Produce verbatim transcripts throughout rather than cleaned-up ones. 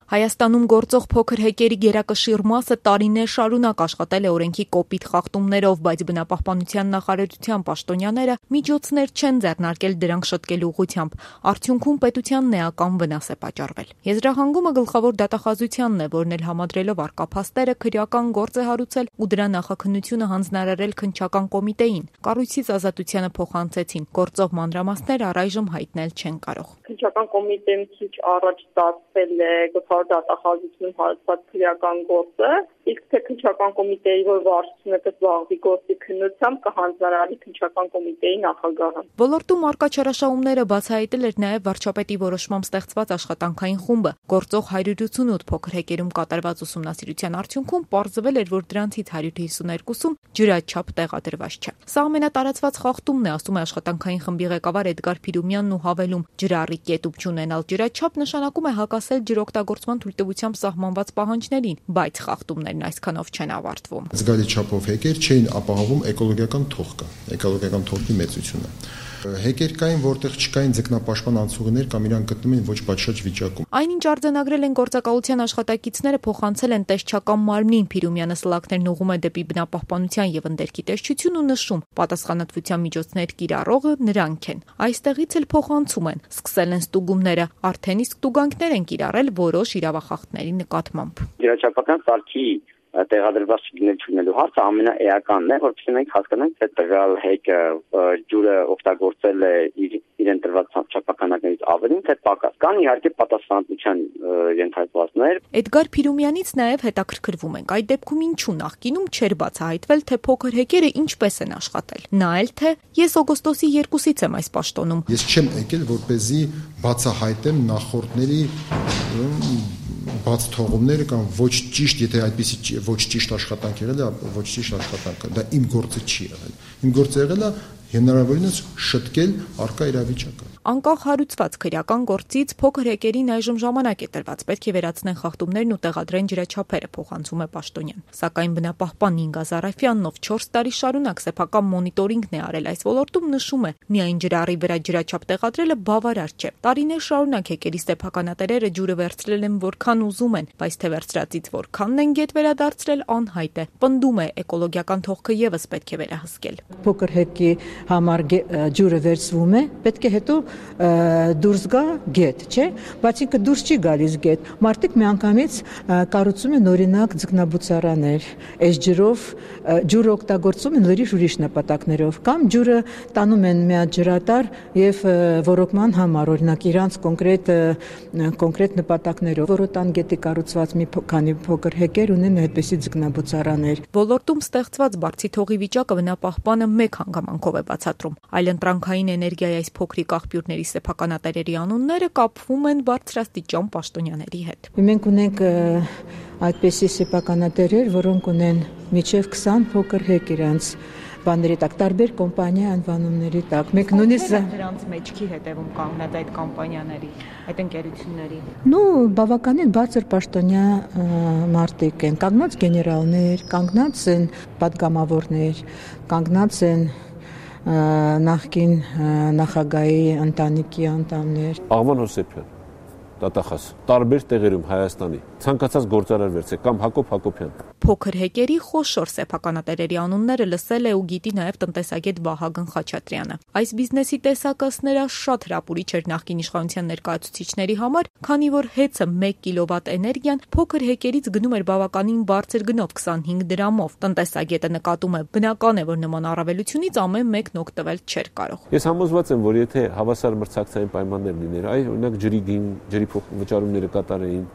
Հայաստանում գործող փոքր հեկերի գերակշիռ մասը տարիներ շարունակ աշխատել է օրենքի կոպիտ խախտումներով, բայց բնապահպանության նախարարության պաշտոնյաները միջոցներ չեն ձեռնարկել դրանք շտկելու ուղղությամբ։ Արդյունքում պետությանն էական վնաս է պատճառվել։ Եզրահանգումը գլխավոր դատախազությանն է, որն էլ համադրելով առկա փաստերը քրեական գործ է հարուցել ու դրա նախաքննությունը հանձնարարել քննչական կոմիտեին։ Կառույցից Ազատությանը փոխանցեցին, գործող մանրամասներ առայժմ հայտնել չեն կարող։ Քննչական կոմիտեն քիչ առաջ ստացվել է գլխավոր դատախազությունում հարուցված քրեական գործը, իսկ թե քննչական կոմիտեի, որ վարչությունը կզբաղվի գործի քննությամբ, կհանձնարարի քննչական կոմիտեի նախագահը։ Ոլորտում առկա չարաշահումները բացահայտել էր նաև վարչապետի որոշմամբ ստեղծված աշխատանքային խումբը։ Գործող հարյուր ութսունութ փոքր հեկերում կատարված ուսումնասիրության արդյունքում պարզվել էր, որ դրանցից հարյուր հիսուներկուսում ջրաչափ տեղադրված չէ։ Սա ամենատարածված խախտումն է, ասում է աշխատանքային խմբի ղեկավար Էդգար Փիրումյանն ու հավելում. ջրառի կետուկ չունենալ ջրաչափ նշանակում է հակասել ջրօգտագործման թույլտվությամբ սահմանված պահանջներին, բայց խախտումներն այսքանով չեն ավարտվում։ Զգալի չափով հեկեր չէին ապահովում էկոլոգիական թողքը, էկոլոգիական թողքի մեծությունը։ Հեկեր կային, որտեղ չկային ձկնապաշտպան անցուղիներ կամ իրան գտնում են ոչ պատշաճ վիճակում։ Այնինչ արձանագրել են գործակալության աշխատակիցները, փոխանցել են տեսչական մարմնին։ Փիրումյանը սլաքներն ուղղում է դեպի բնապահպանության եւ ընդերքի տեսչություն ու նշում. պատասխանատվության միջոցներ կիրառողը նրանք են։ Այստեղից էլ փոխանցում են, սկսել են ստուգումները, արդեն իսկ տուգանքներ են կիրառել որոշ իրավախախտների նկատմամբ։ Ջրաչափական սարքի տեղադրված չլինել չունելու հարցը ամենաէականն է, որովհետեւ մենք հասկանանք, թե տվյալ հեկը ջուրը օգտագործել է իրեն տրված չափականակներից ավելին, թե պակաս։ Կան իհարկե պատասխանատվության ենթարկվածներ։ Էդգար Փիրումյանից նաև հետաքրքրվում ենք, այդ դեպքում ինչու նախկինում չէր բացահայտվել, թե փոքր հեկերը ինչպես են աշխատել։ Նա էլ թե ես օգոստոսի երկուսից եմ այս պաշտոնում։ Ես չեմ եկել, որպեսզի բացահայտեմ նախորդների բաց թողումները կամ ոչ ճիշտ, եթե այդպեսի ոչ ճիշտ աշխատանք եղել է, ոչ ճիշտ աշխատանքը, դա իմ գործը չի եղել։ Իմ գործը եղել է հնարավորինս շտկել առկա իրավիճակը։ Անկախ հարուցված քրեական գործից փոքր հեկերին այժմ ժամանակ է տրված, պետք է վերացնեն խախտումներն ու տեղադրեն ջրաչափերը, փոխանցում է պաշտոնյան։ Սակայն բնապահպան Ինգա Զարաֆյանն, ով չորս տարի շարունակ սեփական մոնիտորինգն է արել այս ոլորտում, նշում է, միայն ջրառի վրա ջրաչափ տեղադրելը բավարար չէ։ Տարիներ շարունակ հեկերի սեփականատերերը ջուրը վերցրել են որքան ուզում են, բայց թե վերցրածից որքանն են գետ վերադարձրել անհայտ է։ Պնդում է, էկոլոգիական թողքը եւս պետք է վերահսկել։ Փոքր հեկի համար ջուրը վերցվում է, պետք է հետո դուրս գա գետ, չէ՞, բայց ինքը դուրս չի գալիս գետ։ Մարդիկ միանգամից կառուցում են օրինակ ձկնաբուծարաներ, այս ջրով ջուրը օգտագործում են լրիվ ուրիշ նպատակներով, կամ ջուրը տանում են միաջրատար եւ ոռոգման համար, օրինակ իրանց կոնկրետ կոնկրետ նպատակներով։ Որոտան գետի կառուցված մի քանի փոքր հեկեր ունեն այդպիսի ձկնաբուծարաներ։ Ոլորտում ստեղծված բարձի թողի վիճակը բնապահպանը մեկ հանգամանքով է բացատրում։ Այլընտրանքային էներգիայի այս փոքրիկ աղբյուրների սեփականատերերի անունները կապվում են բարձրաստիճան պաշտոնյաների հետ։ Մենք ունենք այդպիսի սեփականատերեր, որոնք ունեն միջև քսան փոքր հեկ իրանց բաների տակ, տարբեր կոմպանիա անվանումների տակ։ Մենք նույնիսկ դրանց մեջքի հետևում կանգնած այդ կոմպանիաների, այդ ընկերությունների։ Ну, բավականին բարձր պաշտոնյա մարդիկ են, կանգնած գեներալներ, կանգնած են падգամավորներ, կանգնած են նախկին նախագահի ընտանիքի անդամներ։ Աղվան Հոսեփյան, դատախազ, տարբեր տեղերում Հայաստանի ցանկացած գործարար վերցեք կամ Հակոբ Հակոբյան։ Փոքր հեկերի խոշոր սեփականատերերի անունները լսել է ու գիտի նաև տնտեսագետ Վահագն Խաչատրյանը։ Այս բիզնեսի տեսակը նրա շատ հրապուրիչ էր նախկին իշխանության ներկայացուցիչների համար, քանի որ հեծը մեկ կիլովատ էներգիան փոքր հեկերից գնում էր բավականին բարձր գնով քսանհինգ դրամով։ Տնտեսագետը նկատում է, բնական է, որ նման առավելությունից ամեն մեկն օգտվել չէր կարող։ Ես համոզված եմ, որ եթե հավասար մրցակցային պայմաններ լիներ, այ օրինակ ջրի գին, ջրի վճարումները կատարեին,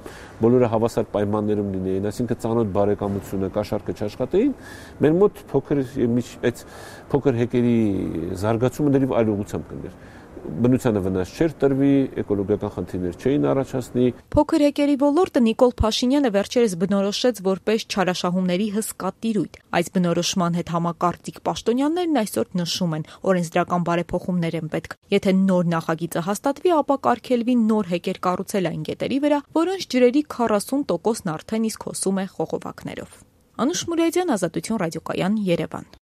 բոլորը հավասար պայմաններում լինեին, այսինքն ծանոթ բարեկամությունը, կաշառքը չաշխատեին, մեր մոտ փոքր այդ փոքր հեկերի զարգացումը դեռ այլ ուղղությամբ կներ։ Բնությանը վնաս չէր տրվի, էկոլոգիական խնդիրներ չէին առաջացնի։ Փոքր հեկերի ոլորտը Նիկոլ Փաշինյանը վերջերս բնորոշեց որպես չարաշահումների հսկա տիրույթ։ Այս բնորոշման հետ համակարծիք պաշտոնյաներն այսօր նշում են, օրենսդրական բարեփոխումներ են պետք։ Եթե նոր նախագիծը հաստատվի, ապա կարգելվի նոր հեկեր կառուցել այն գետերի վրա, որոնց ջրերի քառասուն տոկոսն արդեն իսկ հոսում է խողովակներով։ Անուշ Մուրադյան, Ազատություն ռադիոկայան, Երևան։